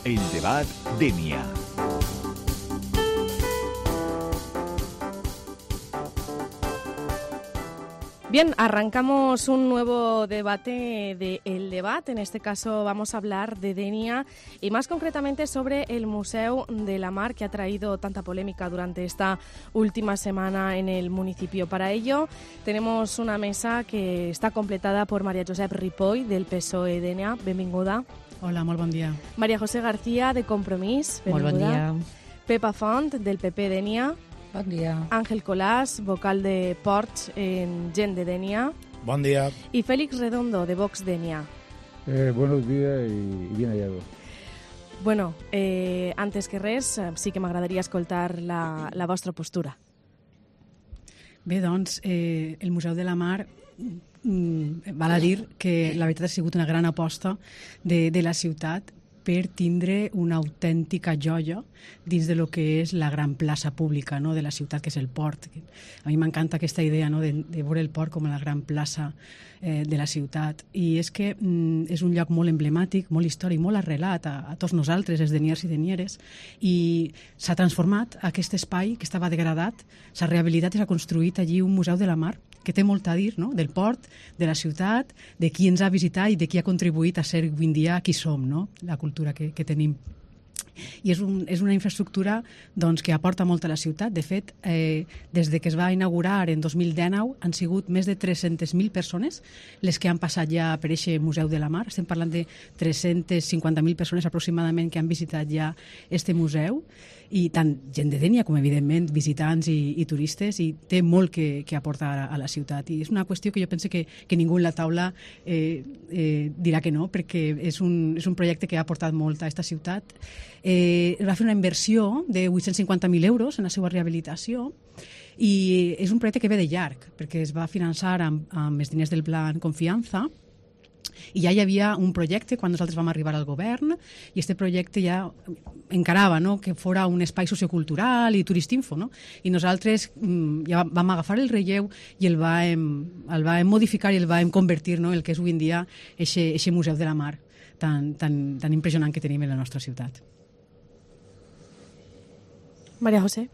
El debat Denia. Bien, arrancamos un nuevo debate de El Debat. En este caso vamos a hablar de Denia y más concretamente sobre el Museu de la Mar, que ha traído tanta polémica durante esta última semana en el municipio. Para ello tenemos una mesa que está completada por María Josep Ripoll, del PSOE Denia. Benvinguda. Hola, molt bon dia. María José García, de Compromís. Molt bon dia. Pepa Font, del PP Denia. Bon dia. Ángel Colás, vocal de Ports en Gent de Denia. Bon dia. Y Félix Redondo, de Vox Denia. Buenos días y bien hallado. Bueno, antes que res, sí que m'agradaria escoltar la vostra postura. Bé, doncs, el Museu de la Mar val a dir que la veritat ha sigut una gran aposta de la ciutat per tindre una autèntica joia dins de lo que és la gran plaça pública, no?, de la ciutat, que és el port. A mi m'encanta aquesta idea, no?, de veure el port com la gran plaça de la ciutat. I és que és un lloc molt emblemàtic, molt històric, molt arrelat a tots nosaltres, els deniers i denieres, i s'ha transformat aquest espai que estava degradat, s'ha rehabilitat i s'ha construït allí un museu de la mar que té molt a dir, no?, del port, de la ciutat, de qui ens ha visitat i de qui ha contribuït a ser avui en dia qui som, no?, la cultura que tenim. I és una infraestructura, doncs, que aporta molt a la ciutat. De fet, des de que es va inaugurar en 2019 han sigut més de 300.000 persones les que han passat ja per aquest Museu de la Mar. Estem parlant de 350.000 persones aproximadament que han visitat ja este museu, i tant gent de Denia com, evidentment, visitants i turistes, i té molt que aportar a la ciutat. I és una qüestió que jo penso que ningú en la taula dirà que no, perquè és un projecte que ha aportat molt a aquesta ciutat. Va fer una inversió de 850.000 euros en la seva rehabilitació, i és un projecte que ve de llarg, perquè es va finançar amb els diners del Plan Confiança, i ja hi havia un projecte quan nosaltres vam arribar al govern, i aquest projecte ja encarava, no?, que fora un espai sociocultural i turistinfo, no? I nosaltres ja vam agafar el relleu i el vam modificar i el vam convertir, no?, el que és avui en dia aquest Museu de la Mar tan impressionant que tenim en la nostra ciutat. María José.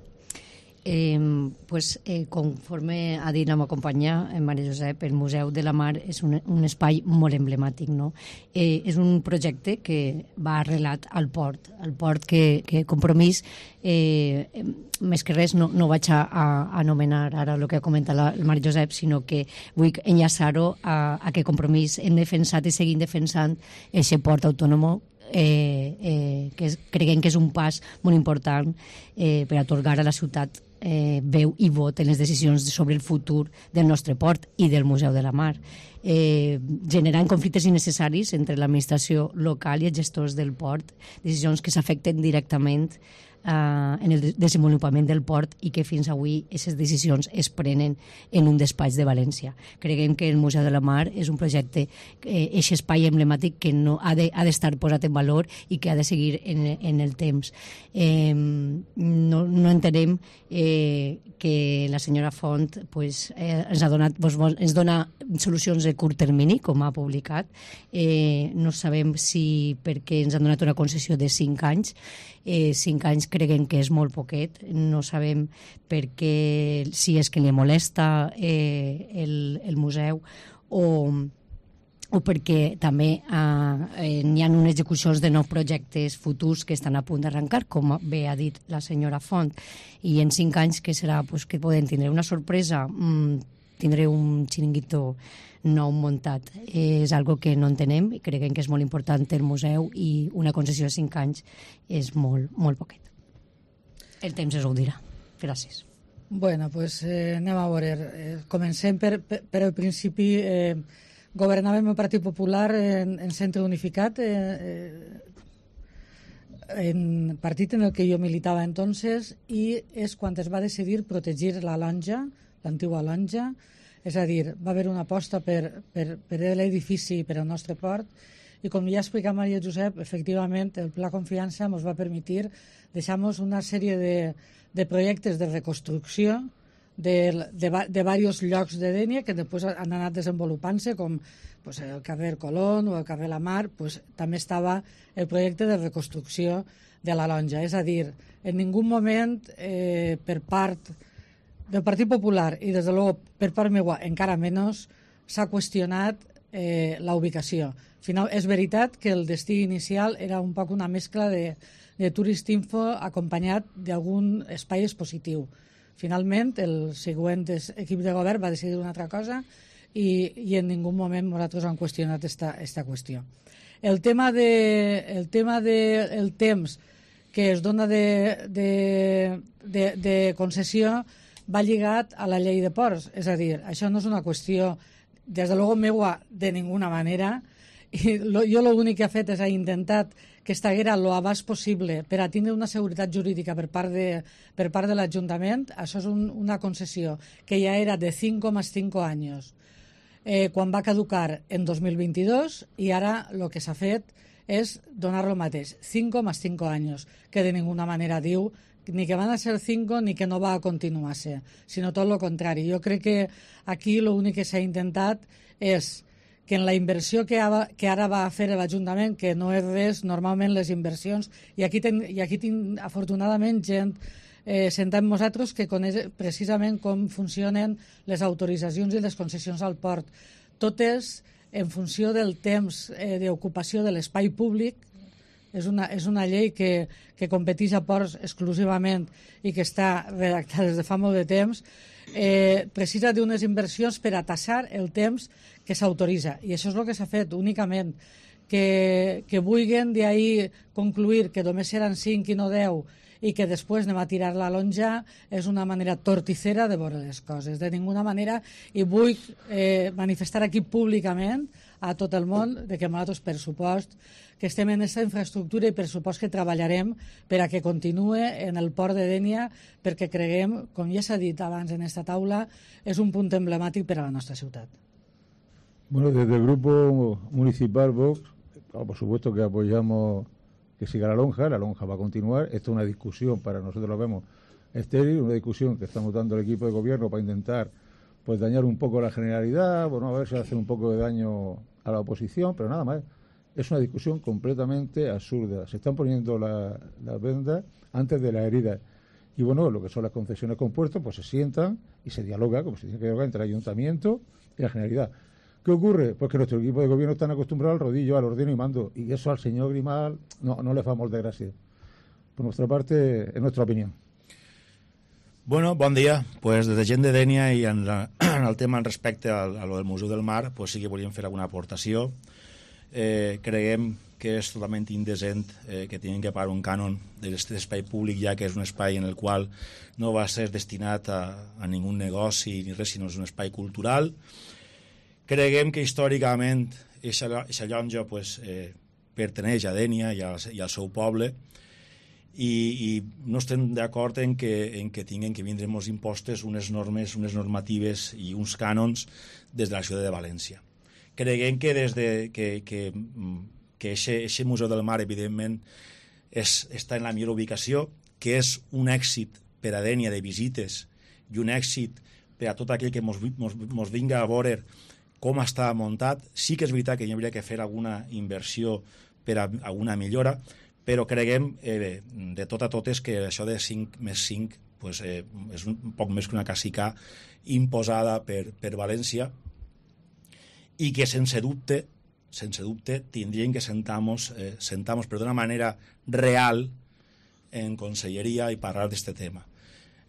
Conforme ha dit la meva companya Maria Josep, el Museu de la Mar és un espai molt emblemàtic, no? És un projecte que va arrelat al port que Compromís, més que res no vaig a anomenar ara el que ha comentat la Maria Josep, sinó que vull enllaçar-ho a que Compromís hem defensat i seguim defensant aquest port autònom, que creiem que és un pas molt important per atorgar a la ciutat veu i vot en les decisions sobre el futur del nostre port i del Museu de la Mar, generant conflictes innecessaris entre l'administració local i els gestors del port, decisions que s'afecten directament en el desenvolupament del port i que fins avui aquestes decisions es prenen en un despatx de València. Creiem que el Museu de la Mar és un projecte, aquest espai emblemàtic que no ha d'estar posat en valor i que ha de seguir en el temps. No entenem que la senyora Font ens dona solucions de curt termini, com ha publicat. No sabem si perquè ens han donat una concessió de 5 anys. 5 anys creguem que és molt poquet. No sabem perquè si és que li molesta el museu o perquè també n'hi ha unes execucions de nous projectes futurs que estan a punt d'arrencar, com bé ha dit la senyora Font, i en 5 anys que serà que poden tindre una sorpresa, tindré un xiringuito nou muntat. És algo que no entenem i creiem que és molt important el museu, i una concessió de 5 anys és molt, molt poquet. El temps es ho dirà. Gràcies. Bueno, pues anem a veure. Comencem per el principi. Governàvem el Partit Popular en Centre Unificat, en partit en el que jo militava entonces, i és quan es va decidir protegir la lonja, l'antiga lonja. És a dir, va haver una aposta per l'edifici i per el nostre port, i com ja ha explicat Maria Josep, efectivament el Pla Confiança ens va permetre deixar una sèrie de projectes de reconstrucció de diversos llocs de Dénia que després han anat desenvolupant-se, com pues, el carrer Colón o el carrer La Mar. Pues, també estava el projecte de reconstrucció de la Lonja. És a dir, en ningú moment per part del Partit Popular i des de luego per part meua encara menys s'ha qüestionat la ubicació. Al final, és veritat que el destí inicial era un poc una mescla de Turistinfo acompanyat d'algun espai expositiu. Finalment, el següent equip de govern va decidir una altra cosa i en ningú moment nosaltres hem qüestionat esta qüestió. El tema del temps que es dona de concessió va lligat a la llei de ports. És a dir, això no és una qüestió, des de luego meua, de ninguna manera. I jo l'únic que he fet és intentat que estiguera lo abast possible per a tindre una seguretat jurídica per part de l'Ajuntament. Això és una concessió que ja era de 5,5 anys quan va caducar en 2022 i ara el que s'ha fet és donar lo mateix, 5,5 anys, que de ninguna manera diu ni que van a ser 5 ni que no va a continuar-se, sinó tot el contrari. Jo crec que aquí l'únic que s'ha intentat és que en la inversió que ara va fer l'Ajuntament, que no és res, normalment les inversions, i aquí tinc afortunadament gent sentat amb nosaltres que coneix precisament com funcionen les autoritzacions i les concessions al port. Totes en funció del temps d'ocupació de l'espai públic. És una llei que competeix a ports exclusivament i que està redactada des de fa molt de temps. Precisa d'unes inversions per a tassar el temps que s'autoritza. I això és el que s'ha fet únicament. Que vulguin d'ahir concluir que només seran 5 i no 10 i que després anem a tirar la lonja és una manera torticera de veure les coses. De ninguna manera, i vull manifestar aquí públicament a tot el món de que nosaltres pressupost que estem en aquesta infraestructura i pressupost que treballarem per a que continue en el port de Dénia, perquè creguem, com ja s'ha dit abans en esta taula, és un punt emblemàtic per a la nostra ciutat. Bueno, desde el Grupo Municipal Vox, por supuesto que apoyamos que siga la lonja va a continuar. Esto es una discusión, para nosotros lo vemos estéril, una discusión que estamos dando al equipo de gobierno para intentar pues dañar un poco la generalidad, bueno, a ver si hace un poco de daño a la oposición, pero nada más. Es una discusión completamente absurda. Se están poniendo las vendas antes de las heridas. Y bueno, lo que son las concesiones con puertos, pues se sientan y se dialoga, como se tiene que dialogar entre el ayuntamiento y la generalidad. ¿Qué ocurre? Pues que nuestro equipo de gobierno están acostumbrados al rodillo, al ordeno y mando, y eso al señor Grimal no le fa molt de gràcia. Por nuestra parte, es nuestra opinión. Bueno, bon dia. Pues des de gent de Dénia i en el tema respecte a lo del Museu del Mar, pues sí que volíem fer alguna aportació. Creiem que és totalment indecent que tinguin que pagar un cànon d'aquest espai públic, ja que és un espai en el qual no va ser destinat a ningú negoci ni res, sinó és un espai cultural. Creiem que històricament aquesta llonja pues, perteneix a Dénia i al seu poble, i no estem d'acord en que tinguin que vindre molts impostos, unes normes, unes normatives i uns cànons des de la ciutat de València. Creiem que des de que aquest Museu del Mar, evidentment, està en la millor ubicació, que és un èxit per a Dénia de visites i un èxit per a tot aquell que mos vinga a veure com està muntat. Sí que és veritat que hi hauria que fer alguna inversió per a alguna millora, però creguem de tot a totes que això de 5 més 5 pues, és un poc més que una cacica imposada per València, i que sense dubte tindrien que sentar-nos d'una manera real en conselleria i parlar d'aquest tema.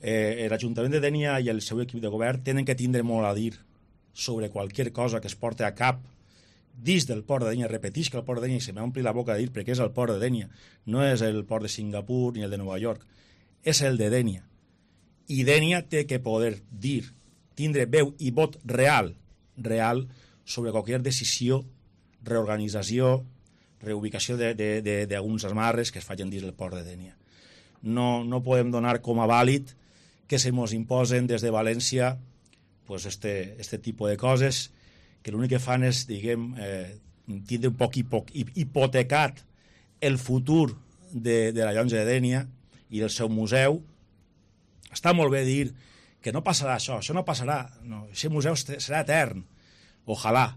L'Ajuntament de Dénia i el seu equip de govern tenen que tindre molt a dir sobre qualsevol cosa que es porti a cap dins del port de Dénia. Repeteix que el port de Dénia, i se m'ompli la boca de dir perquè és el port de Dénia, no és el port de Singapur ni el de Nova York, és el de Dénia. I Dénia té que poder dir, tindre veu i vot real sobre qualsevol decisió, reorganització, reubicació d'alguns amarres que es facin dins del port de Dénia. No podem donar com a vàlid que se mos imposen des de València pues este tipus de coses que l'únic que fan és, diguem, tindre un poc hipotecat el futur de la llonja de Dénia i del seu museu. Està molt bé dir que no passarà això no passarà, no, aquest museu serà etern, ojalà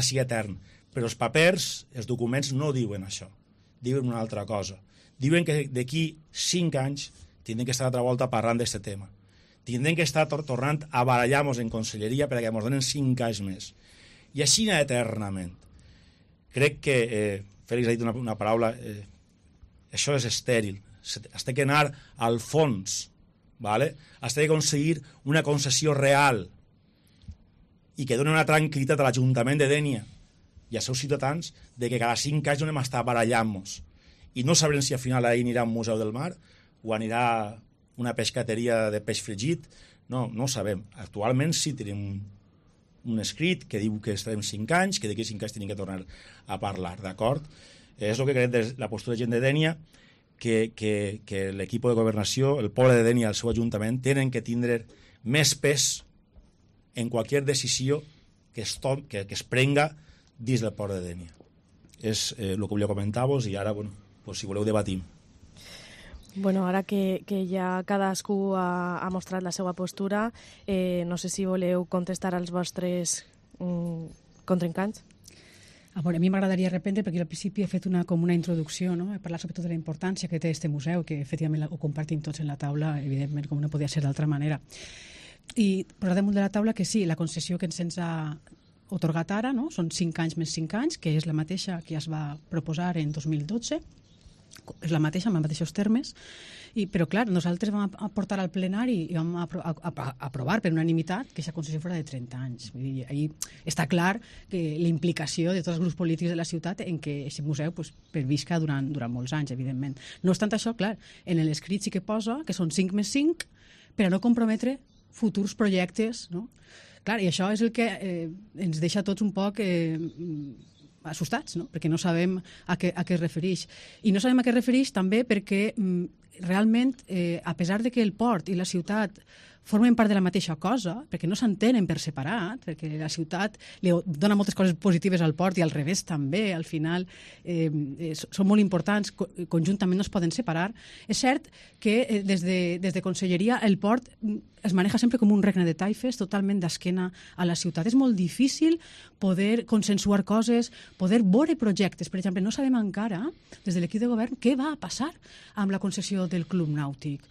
sigui etern, però els papers, els documents no diuen això, diuen una altra cosa, diuen que d'aquí 5 anys tindrem que estar altra volta parlant d'aquest tema, tindrem que estar tornant a barallar-nos en conselleria perquè ens donen 5 anys més, i així eternament. Crec que Fèlix ha dit una paraula, això és estèril, has de anar al fons, ¿vale? Has d'aconseguir una concessió real i que doni una tranquil·litat a l'Ajuntament de Dénia i als seus ciutadans de que cada 5 anys no anem a estar barallant-nos i no sabrem si al final ahir anirà un museu del mar o anirà una pescateria de peix fregit, no ho sabem. Actualment sí tenim un escrit que diu que estarem 5 anys, que d'aquí 5 anys tenim que tornar a parlar, d'acord? És el que creiem de la postura de gent de Dénia, que l'equip de governació, el poble de Dénia i el seu ajuntament tenen que tindre més pes en qualsevol decisió que es prenga dins del poble de Dénia. És el que volia comentar-vos i ara, si voleu, debatim. Bueno, ara que ja cadascú ha mostrat la seva postura, no sé si voleu contestar als vostres contrincants. A mi m'agradaria reprendre, perquè al principi he fet com una introducció, no? He parlat sobretot de la importància que té este museu, que efectivament ho compartim tots en la taula, evidentment, com no podia ser d'altra manera. I posar damunt de la taula que sí, la concessió que se'ns ha otorgat ara, no? Són 5 anys més 5 anys, que és la mateixa que ja es va proposar en 2012, és la mateixa, amb els mateixos termes, però clar, nosaltres vam portar al plenari i vam aprovar per unanimitat que aquesta concessió fora de 30 anys. Vull dir, ahí està clar que la implicació de tots els grups polítics de la ciutat en què aquest museu pervisca durant molts anys, evidentment. No obstant això, clar, en l'escrit sí que posa que són 5 més 5 per a no comprometre futurs projectes, no? Clar, i això és el que ens deixa tots un poc assustats, no? Perquè no sabem a què es refereix. I no sabem a què es refereix també perquè realment, a pesar de que el port i la ciutat formen part de la mateixa cosa, perquè no s'entenen per separat, perquè la ciutat li dona moltes coses positives al port i al revés també, al final són molt importants, conjuntament no es poden separar. És cert que des de Conselleria el port es maneja sempre com un regne de taifes, totalment d'esquena a la ciutat. És molt difícil poder consensuar coses, poder veure projectes. Per exemple, no sabem encara, des de l'equip de govern, què va passar amb la concessió del Club Nàutic.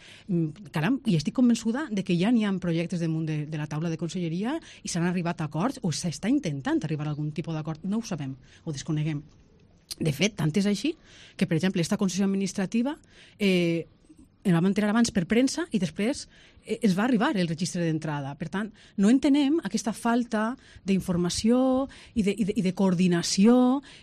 Caram, i estic convençuda de que ja n'hi ha projectes damunt de la taula de Conselleria i s'han arribat a acords o s'està intentant arribar a algun tipus d'acord. No ho sabem, ho desconeguem. De fet, tant és així que, per exemple, aquesta concessió administrativa en vam enterar abans per premsa i després es va arribar el registre d'entrada. Per tant, no entenem aquesta falta d'informació i de coordinació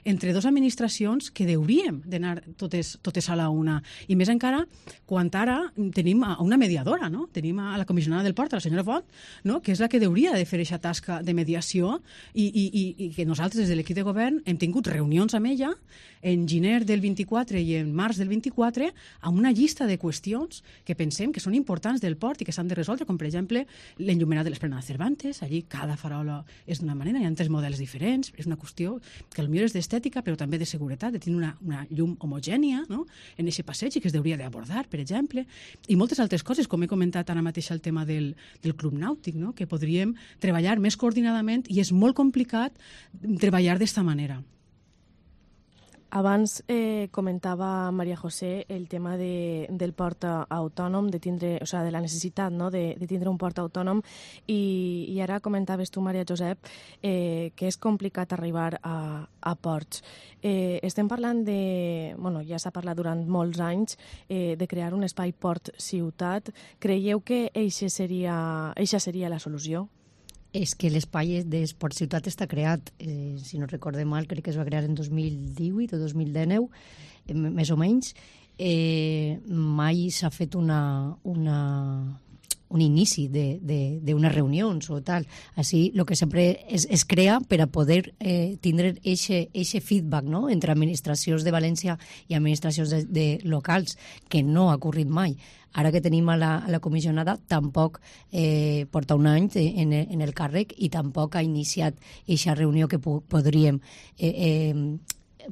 entre dues administracions que hauríem d'anar totes a la una. I més encara quan ara tenim una mediadora, no? Tenim a la comissionada del port, a la senyora Font, no? Que és la que hauria de fer aquesta tasca de mediació i que nosaltres des de l'equip de govern hem tingut reunions amb ella en gener del 24 i en març del 24 amb una llista de qüestions que pensem que són importants del port i que s'han de resoldre, com per exemple l'enllumenat de l'Esplanada Cervantes. Allí cada farola és d'una manera, hi ha 3 models diferents, és una qüestió que potser és d'estètica però també de seguretat, de tenir una llum homogènia, no? En aquest passeig i que es hauria d'abordar, per exemple, i moltes altres coses, com he comentat ara mateix el tema del Club Nàutic, no? Que podríem treballar més coordinadament i és molt complicat treballar d'esta manera. Abans comentava Maria José el tema del port autònom, de la necessitat, no? de tindre un port autònom, i ara comentaves tu, Maria Josep, que és complicat arribar a ports. Estem parlant ja s'ha parlat durant molts anys de crear un espai port-ciutat. Creieu que eixa seria la solució? És que l'espai d'Esport Ciutat està creat, si no recorde mal, crec que es va crear en 2018 o 2019, més o menys. Mai s'ha fet un inici d'unes reunions o tal. Així, el que sempre es crea per a poder tindre eixe feedback, no? Entre administracions de València i administracions de locals, que no ha ocorrit mai. Ara que tenim a la comissionada, tampoc porta un any en el càrrec i tampoc ha iniciat aquesta reunió que podríem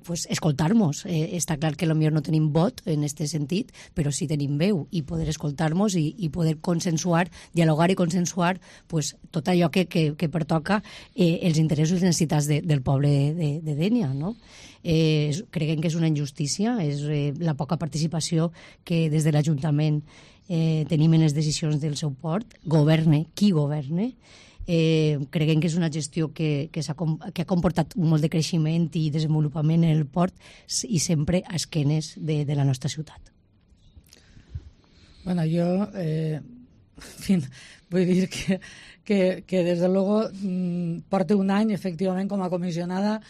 pues, escoltar-nos. Està clar que potser no tenim vot en aquest sentit, però sí tenim veu i poder escoltar-nos i poder consensuar, dialogar i consensuar pues, tot allò que pertoca els interessos i necessitats del poble de Dénia, no? Creiem que és una injustícia, és la poca participació que des de l'Ajuntament tenim en les decisions del seu port, governe qui governe. Creiem que és una gestió que ha comportat molt de creixement i desenvolupament en el port i sempre a esquenes de la nostra ciutat. Bueno, yo, en fin, vull dir que desde luego porto un any, efectivament, com a comissionada.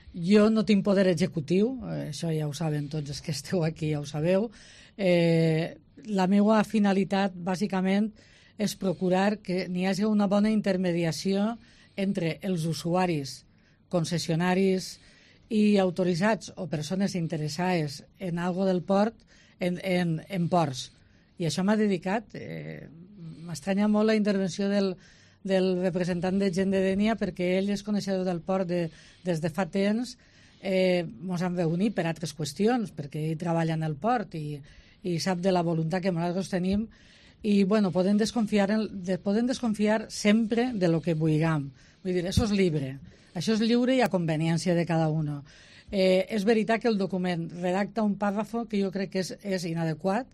Jo no tinc poder executiu, això ja ho saben tots els que esteu aquí, ja ho sabeu. La meva finalitat, bàsicament, és procurar que n'hi hagi una bona intermediació entre els usuaris, concessionaris i autoritzats o persones interessades en algo del port, en ports. I això m'ha dedicat. M'estranya molt la intervenció del representant de Gent de Dénia, perquè ell és coneixedor del port des de fa temps. Ens hem reunit per altres qüestions, perquè ell treballa en el port i sap de la voluntat que nosaltres tenim. I bueno, podem desconfiar sempre de lo que vulguem. Vull dir, això és lliure. Això és lliure i a conveniència de cada un. És veritat que el document redacta un pàrrafo que jo crec que és inadequat,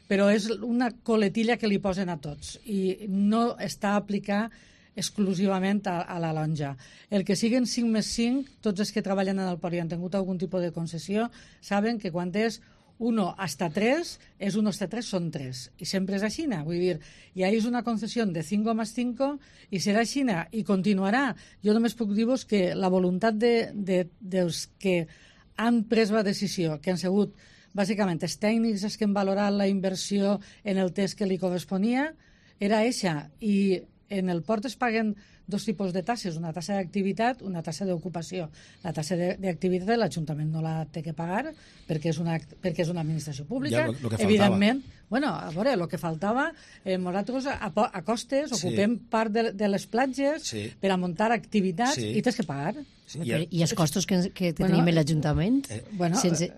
però és una coletilla que li posen a tots i no està aplicat exclusivament a la lonja. El que siguin 5+5, tots els que treballen en el port i han tingut algun tipus de concessió saben que quan és 1 hasta 3, és 1 hasta 3 són 3. I sempre és així. Vull dir, ja és una concessió de 5 más 5 i serà així i continuarà. Jo només puc dir-vos que la voluntat dels que han pres la decisió, que han sigut bàsicament els tècnics els que han valorat la inversió en el test que li corresponia, era eixa. I en el port es paguen dos tipus de tasses, una tassa d'activitat, una tassa d'ocupació. La tassa d'activitat l'Ajuntament no la té que pagar perquè és una administració pública. Ja, evidentment, bueno, a veure, el que faltava, nosaltres a costes ocupem part de les platges per a muntar activitat i tens que pagar. Sí, i els costos que tenim en l'Ajuntament sense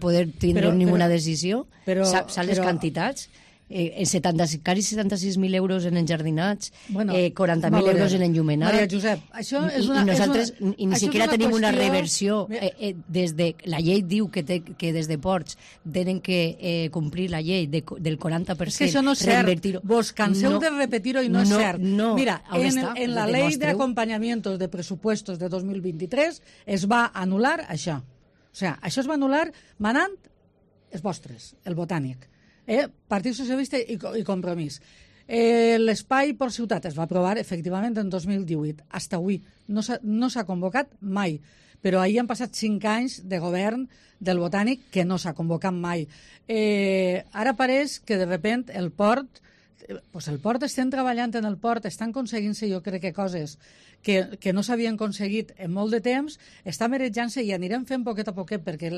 poder tindre ninguna decisió, saps les quantitats? 76.000 euros en enjardinats, 40.000 euros en enllumenat. Maria Josep, això és una... I nosaltres ni siquiera tenim una reversió. Des de la llei diu que des de ports tenen que complir la llei del 40%. És que això no és cert. Vos canseu de repetir-ho i no és cert. Mira, en la ley de acompañamientos de presupuestos de 2023 es va anul·lar això. O sigui, això es va anul·lar manant els vostres, el Botànic. Partit Socialista i Compromís. L'espai per ciutat es va aprovar efectivament en 2018. Fins avui no s'ha convocat mai, però ahir han passat 5 anys de govern del Botànic que no s'ha convocat mai. Ara pareix que de repent el port estem treballant en el port, estan aconseguint-se jo crec que coses que no s'havien aconseguit en molt de temps, està merejant-se i anirem fent poquet a poquet, perquè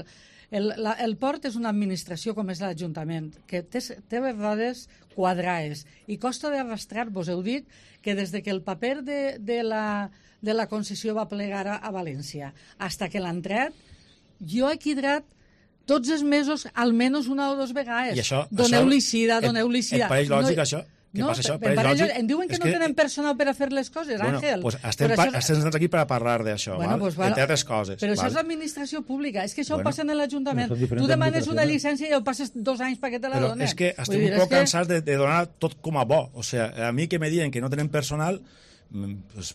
el port és una administració com és l'Ajuntament, que té les rodes quadrades i costa d'arrastrar. Vos heu dit que des que el paper de la concessió va plegar a València fins que l'han tret, jo he quidrat tots els mesos, almenys una o 2 vegades. Doneu-li sida. Et pareix lògic això? Què passa això? Em diuen que no tenen personal per a fer les coses, Àngel. Doncs estem sentats aquí per a parlar d'això, entre altres coses. Però això és l'administració pública, és que això ho passa en l'Ajuntament. Tu demanes una llicència i ho passes 2 anys perquè te la donen. Però és que estem un poc cansats de donar tot com a bo. O sigui, a mi que me diuen que no tenen personal,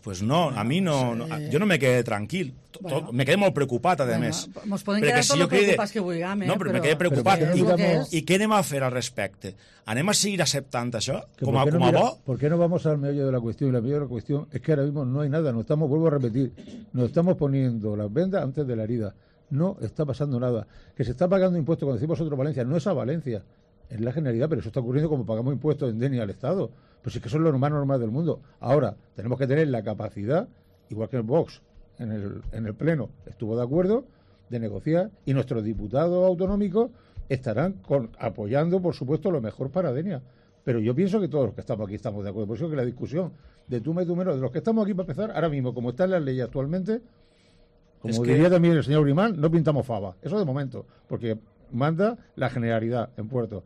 pues no, a mi no, jo no me quedé tranquil, me quedé molt preocupat, a més. Ens podem quedar tot el preocupats que vulguem, no, però me quedé preocupat. I què anem a fer al respecte? ¿Anem a seguir aceptando eso como a vos? ¿Por qué no vamos al meollo de la cuestión? Y la meollo de la cuestión es que ahora mismo no hay nada, vuelvo a repetir, nos estamos poniendo las vendas antes de la herida. No está pasando nada. Que se está pagando impuestos, cuando decimos vosotros Valencia, no es a Valencia, es la Generalidad, pero eso está ocurriendo como pagamos impuestos en Dénia al Estado. Pues es que son lo más normal del mundo. Ahora, tenemos que tener la capacidad, igual que el Vox en el Pleno estuvo de acuerdo, de negociar, y nuestros diputados autonómicos estarán apoyando, por supuesto, lo mejor para Dénia. Pero yo pienso que todos los que estamos aquí estamos de acuerdo. Por eso que la discusión de tú más y tú menos, de los que estamos aquí para empezar, ahora mismo, como están las leyes actualmente, Como diría también el señor Grimán, no pintamos fava. Eso de momento, porque manda la generalidad en Puerto.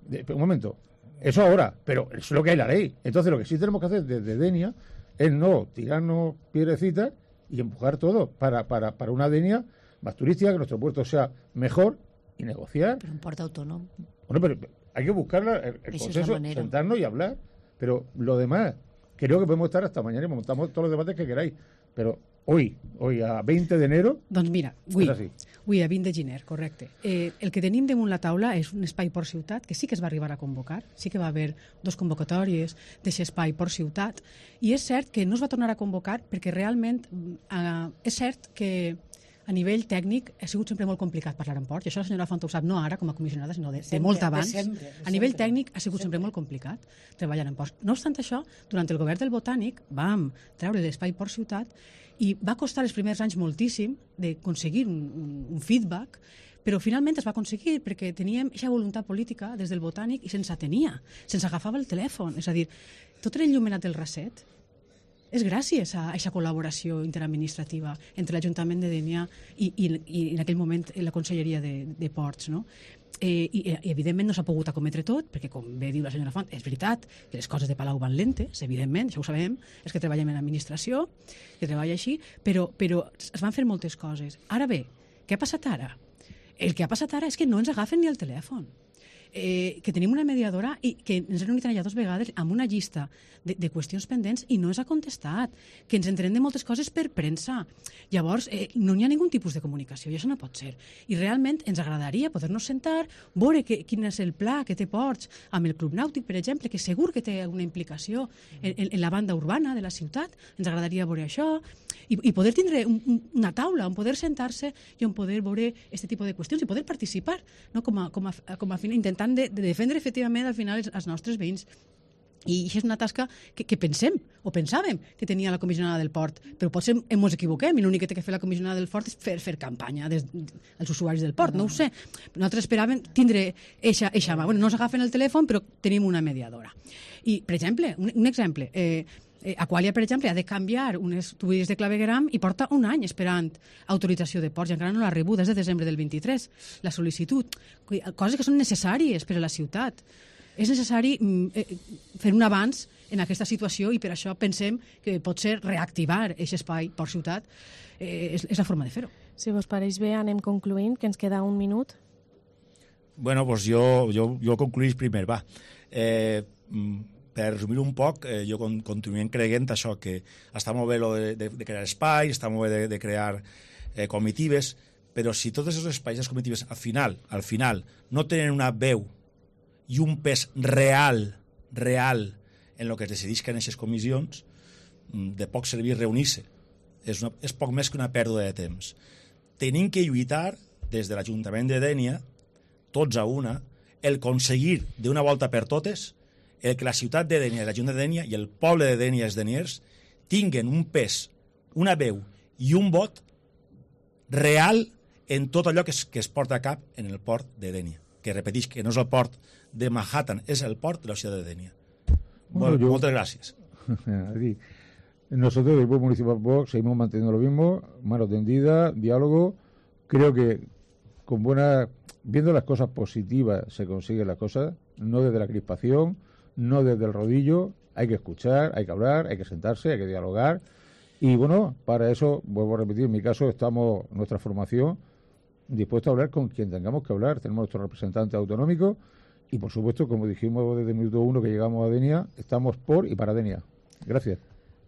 Un momento, eso ahora, pero es lo que hay la ley. Entonces lo que sí tenemos que hacer desde Denia es no tirarnos piedrecitas y empujar todo para una Denia más turística, que nuestro puerto sea mejor y negociar. Pero un puerto autónomo. Bueno, pero hay que buscar el consenso, sentarnos y hablar. Pero lo demás, creo que podemos estar hasta mañana y montamos todos los debates que queráis. Pero hoy a 20 de enero... Doncs mira, avui a 20 de gener, correcte. El que tenim damunt la taula és un espai Port Ciutat, que sí que es va arribar a convocar, sí que va haver 2 convocatòries d'aquest espai Port Ciutat, i és cert que no es va tornar a convocar perquè realment és cert que a nivell tècnic ha sigut sempre molt complicat parlar en port, i això la senyora Font ho sap, no ara com a comissionada, sinó de molt abans. A nivell tècnic ha sigut sempre molt complicat treballar en ports. No obstant això, durant el govern del Botànic vam treure l'espai Port Ciutat i va costar els primers anys moltíssim d'aconseguir un feedback, però finalment es va aconseguir perquè teníem aquesta voluntat política des del Botànic i se'ns atenia, se'ns agafava el telèfon. És a dir, tot era il·luminat del Raset. És gràcies a aquesta col·laboració interadministrativa entre l'Ajuntament de Dénia i en aquell moment la Conselleria de Ports, no? I evidentment no s'ha pogut acometre tot, perquè com bé diu la senyora Font, és veritat que les coses de Palau van lentes, evidentment, això ho sabem, és que treballem en administració, que treballa així, però es van fer moltes coses. Ara bé, què ha passat ara? El que ha passat ara és que no ens agafen ni el telèfon. Que tenim una mediadora i que ens hem reunit allà 2 vegades amb una llista de qüestions pendents i no ens ha contestat, que ens entrem de moltes coses per premsa. Llavors, no hi ha ningun tipus de comunicació i això no pot ser. I realment ens agradaria poder-nos sentar, veure quin és el pla que té Ports amb el Club Nàutic, per exemple, que segur que té una implicació en la banda urbana de la ciutat. Ens agradaria veure això i poder tindre una taula on poder sentar-se i on poder veure aquest tipus de qüestions i poder participar, no? com a final, intentant de defendre efectivament al final els nostres veïns. I això és una tasca que pensem, o pensàvem, que tenia la comissionada del port, però potser ens equivoquem i l'únic que té que fer la comissionada del port és fer campanya als usuaris del port, no ho sé. Nosaltres esperàvem tindre eixa mà. Bueno, no s'agafen el telèfon, però tenim una mediadora. I, per exemple, un exemple, Aqualia, per exemple, ha de canviar unes tuberies de clavegueram i porta un any esperant autorització de ports i encara no l'ha rebut des de desembre del 23, la sol·licitud. Coses que són necessàries per a la ciutat. És necessari fer un avanç en aquesta situació i per això pensem que potser reactivar aquest espai Port Ciutat és la forma de fer-ho. Si vos pareix bé, anem concluint, que ens queda un minut. Bueno, doncs jo concluís primer, va. Per resumir un poc, jo continuem creient això, que està molt bé de crear espais, està molt bé de crear comitives, però si tots aquests espais, les comitives, al final, no tenen una veu i un pes real en el que es decideix que en aquestes comissions, de poc servir reunir-se. És poc més que una pèrdua de temps. Tenim que lluitar des de l'Ajuntament de Dénia, tots a una, el aconseguir d'una volta per totes el que la ciutat de Dénia, l'Ajuntament de Dénia i el poble de Dénia i els deniers tinguen un pes, una veu i un vot real en tot allò que es porta a cap en el port de Dénia, que repeteix que no és el port de Manhattan, es el port de la ciudad de Dénia. Bueno, muchas gracias. Nosotros del Grupo Municipal Vox seguimos manteniendo lo mismo, mano tendida, diálogo. Creo que viendo las cosas positivas se consiguen las cosas, no desde la crispación, no desde el rodillo. Hay que escuchar, hay que hablar, hay que sentarse, hay que dialogar. Y bueno, para eso, vuelvo a repetir, en mi caso estamos, nuestra formación, dispuesta a hablar con quien tengamos que hablar. Tenemos nuestro representante autonómico y, por supuesto, como dijimos desde el minuto 1 que llegamos a Dénia, estamos por y para Dénia. Gracias.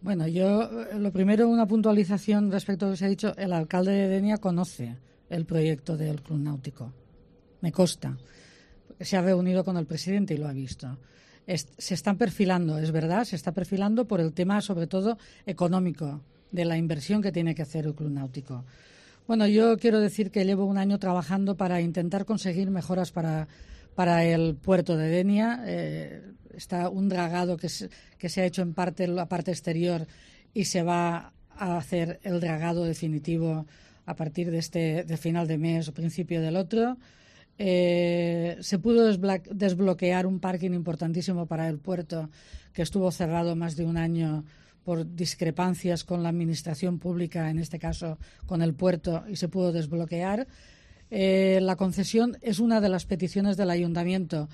Bueno, yo, lo primero, una puntualización respecto a lo que se ha dicho. El alcalde de Dénia conoce el proyecto del Club Náutico. Me consta. Se ha reunido con el presidente y lo ha visto. Se están perfilando, es verdad, se está perfilando por el tema, sobre todo, económico, de la inversión que tiene que hacer el Club Náutico. Bueno, yo quiero decir que llevo un año trabajando para intentar conseguir mejoras para el puerto de Dénia. Está un dragado que se ha hecho en la parte exterior y se va a hacer el dragado definitivo a partir de final de mes o principio del otro. Se pudo desbloquear un parking importantísimo para el puerto que estuvo cerrado más de un año por discrepancias con la administración pública, en este caso con el puerto, y se pudo desbloquear. La concesión es una de las peticiones del ayuntamiento,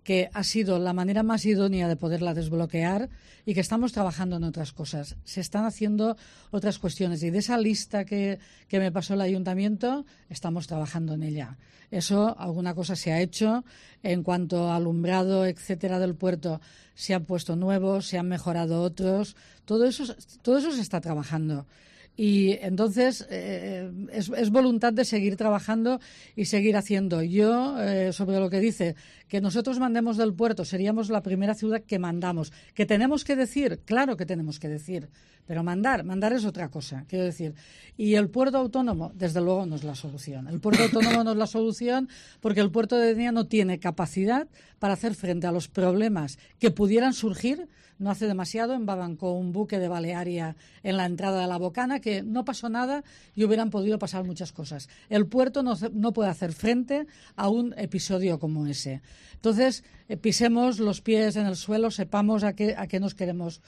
que ha sido la manera más idónea de poderla desbloquear, y que estamos trabajando en otras cosas. Se están haciendo otras cuestiones, y de esa lista que me pasó el ayuntamiento, estamos trabajando en ella. Eso, alguna cosa se ha hecho. En cuanto a alumbrado, etcétera, del puerto, se han puesto nuevos, se han mejorado otros. Todo eso se está trabajando. Y entonces es voluntad de seguir trabajando y seguir haciendo. Yo, sobre lo que dice, que nosotros mandemos del puerto, seríamos la primera ciudad que mandamos. ¿Que tenemos que decir? Claro que tenemos que decir. Pero mandar es otra cosa, quiero decir. Y el puerto autónomo, desde luego, no es la solución. El puerto autónomo no es la solución, porque el puerto de Denia no tiene capacidad para hacer frente a los problemas que pudieran surgir. No hace demasiado embabancó un buque de Balearia en la entrada de la Bocana, que no pasó nada y hubieran podido pasar muchas cosas. El puerto no puede hacer frente a un episodio como ese. Entonces, pisemos los pies en el suelo, sepamos a qué nos tenemos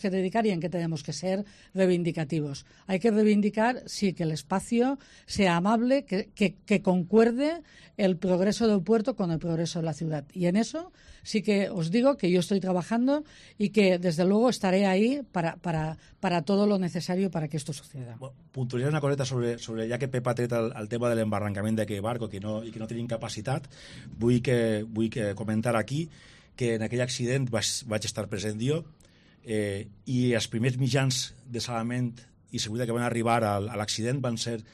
que dedicar y en qué tenemos que ser reivindicativos. Hay que reivindicar, sí, que el espacio sea amable, que concuerde el progreso del puerto con el progreso de la ciudad. Y en eso sí que os digo que yo estoy trabajando y que, desde luego, estaré ahí para todo lo necesario para que esto suceda. Bueno, puntualitzar una coseta sobre ja que Pep ha tret el tema de l'embarrancament d'aquest barco i que no tenim capacitat, vull comentar aquí que en aquell accident vaig estar present jo, i els primers mitjans de salvament i seguretat que van arribar a l'accident van ser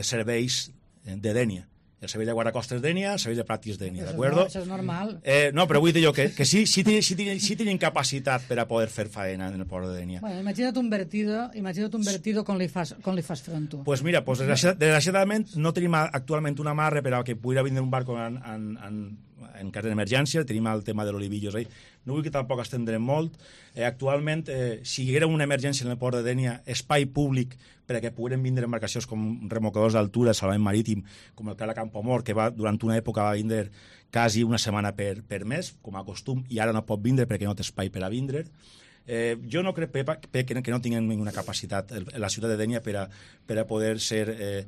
serveis de Dènia. El servei de guardacostes Dènia, el servei de pràctics Dènia, d'acord? Això és normal. No, però vull dir jo que sí tenen capacitat per a poder fer faena en el port de Dènia. Bueno, imagina't un vertido com li fas front tu. Pues mira, desgraciadament no tenim actualment una amarre per a que pugui vindre un barco en cas d'emergència. Tenim el tema de l'Olivillos ahí. No vull que tampoc estendrem molt. Actualment, si hi haguera una emergència en el port de Dènia, espai públic per a que pogueren vindre embarcacions com remolcadors d'altura, salvament marítim, com el Cala Campomor, que durant una època va vindre quasi una setmana per mes, com a costum, i ara no pot vindre perquè no té espai per a vindre. Jo no crec, Pep, que no tinguem ninguna capacitat en la ciutat de Dènia per a poder ser...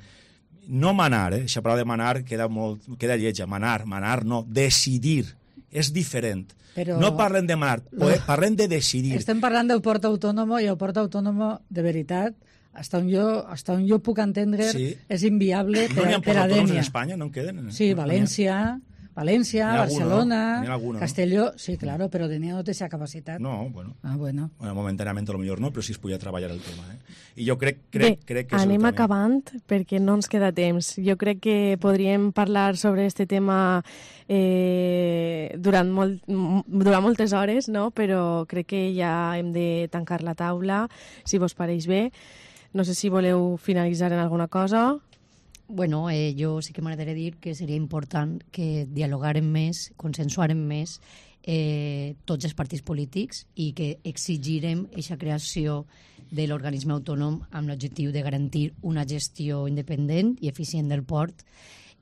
no manar, aquesta paraula de manar queda lletja. Manar no, decidir. És diferent. Però no parlem de manar, parlem de decidir. Estem parlant del port autònom, i el port autònom, de veritat, hasta on jo puc entendre, sí, és inviable per a Dènia. No n'hi ha ports autònoms en Espanya? No en queden? Sí, València, Barcelona, alguno, Castelló, sí, claro, però Dènia no té aquesta capacitat. No, bueno. Bueno, momentanament a lo millor no, però sí es podia treballar el tema. I jo crec que... Bé, anem acabant, perquè no ens queda temps. Jo crec que podríem parlar sobre este tema durant moltes hores, no? Però crec que ja hem de tancar la taula, si vos pareix bé. No sé si voleu finalitzar en alguna cosa. Bueno, jo sí que m'agradaria dir que seria important que dialogarem més, consensuarem més tots els partits polítics i que exigirem aquesta creació de l'organisme autònom amb l'objectiu de garantir una gestió independent i eficient del port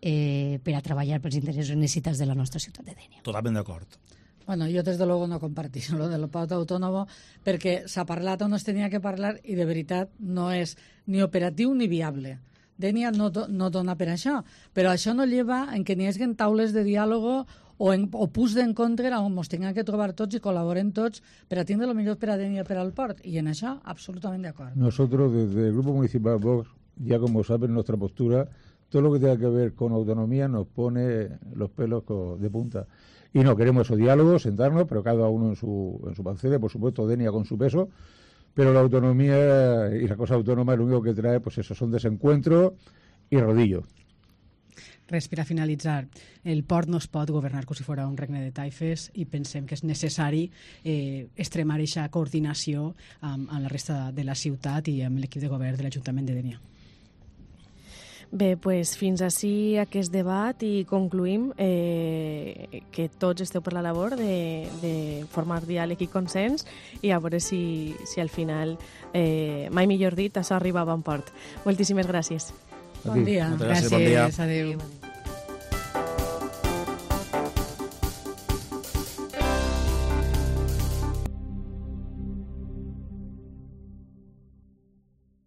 per a treballar pels interessos i necessitats de la nostra ciutat de Dènia. Totalment d'acord. Bueno, yo desde luego no compartís lo del port autónomo, perquè s'ha parlat on es tenia que parlar i de veritat no és ni operatiu ni viable. Dènia no dona per això, però això no lleva en que n'hi hagi taules de diàlogo o punts d'encontre on ens tinguem que trobar tots i col·laborem tots per a tindre el millor per a Dènia i per al port, i en això absolutament d'acord. Nosotros desde el Grupo Municipal Vox, ya como saben nuestra postura, todo lo que tenga que ver con autonomía nos pone los pelos de punta. Y no queremos esos diálogos, sentarnos, pero cada uno en su pancera, por supuesto Dènia con su peso, pero la autonomía y la cosa autónoma lo único que trae, pues eso, son desencuentro y rodillo. Res, per a finalitzar, el port no es pot governar com si fos un regne de taifes i pensem que és necessari extremar aquesta coordinació amb la resta de la ciutat i amb l'equip de govern de l'Ajuntament de Dènia. Bé, doncs fins ací aquest debat i concluïm que tots esteu per la labor de formar diàleg i consens i a veure si al final, mai millor dit, això arriba a bon port. Moltíssimes gràcies. Bon dia. Gràcies, bon dia. Adéu.